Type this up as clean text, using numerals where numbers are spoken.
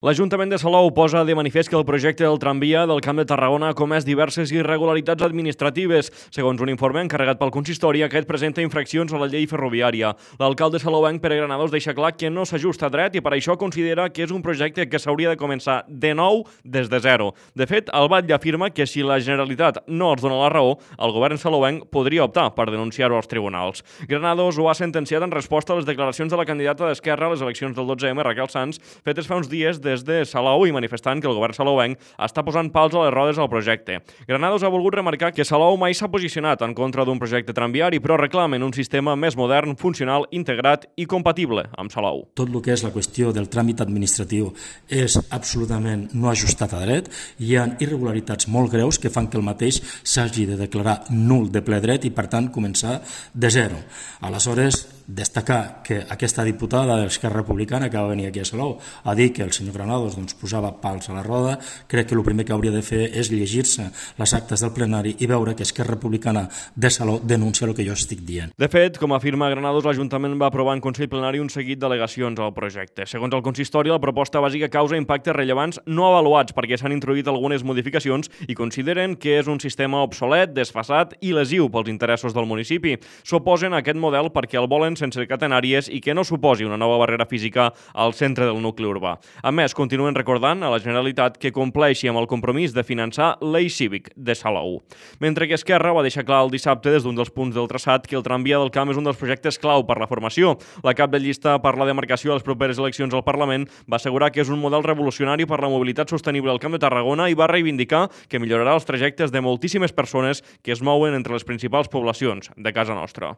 L'Ajuntament de Salou posa de manifest que el projecte del tramvia del Camp de Tarragona ha comès diverses irregularitats administratives. Segons un informe encarregat pel consistori, aquest presenta infraccions a la llei ferroviària. L'alcalde salouenc Pere Granados deixa clar que no s'ajusta a dret i per això considera que és un projecte que s'hauria de començar de nou des de zero. De fet, el batlle afirma que si la Generalitat no els dona la raó, el govern salouenc podria optar per denunciar-ho als tribunals. Granados ho ha sentenciat en resposta a les declaracions de la candidata d'Esquerra a les eleccions del 12M, Raquel Sans, fetes fa uns dies des de Salou i manifestant que el govern salouenc està posant pals a les rodes al projecte. Granados ha volgut remarcar que Salou mai s'ha posicionat en contra d'un projecte tramviari, però reclamen un sistema més modern, funcional, integrat i compatible amb Salou. Tot el que és la qüestió del tràmit administratiu és absolutament no ajustat a dret. Hi ha irregularitats molt greus que fan que el mateix s'hagi de declarar nul de ple dret i, per tant, començar de zero. Aleshores, destacar que aquesta diputada d'Esquerra Republicana que va venir aquí a Salou a dir que el senyor Granados posava pals a la roda, crec que el primer que hauria de fer és llegir-se les actes del plenari i veure que Esquerra Republicana de Salou denuncia el que jo estic dient. De fet, com afirma Granados, l'Ajuntament va aprovar en Consell Plenari un seguit d'al·legacions al projecte. Segons el consistori, la proposta bàsica causa impactes rellevants no avaluats perquè s'han introduït algunes modificacions i consideren que és un sistema obsolet, desfasat i lesiu pels interessos del municipi. S'oposen a aquest model perquè el volen sense catenàries i que no suposi una nova barrera física al centre del nucli urbà. A més, continuen recordant a la Generalitat que compleixi amb el compromís de finançar l'Eix Cívic de Salou. Mentre que Esquerra va deixar clar el dissabte des d'un dels punts del traçat que el tramvia del Camp és un dels projectes clau per la formació. La cap de llista per la demarcació a les properes eleccions al Parlament va assegurar que és un model revolucionari per la mobilitat sostenible al Camp de Tarragona i va reivindicar que millorarà els trajectes de moltíssimes persones que es mouen entre les principals poblacions de casa nostra.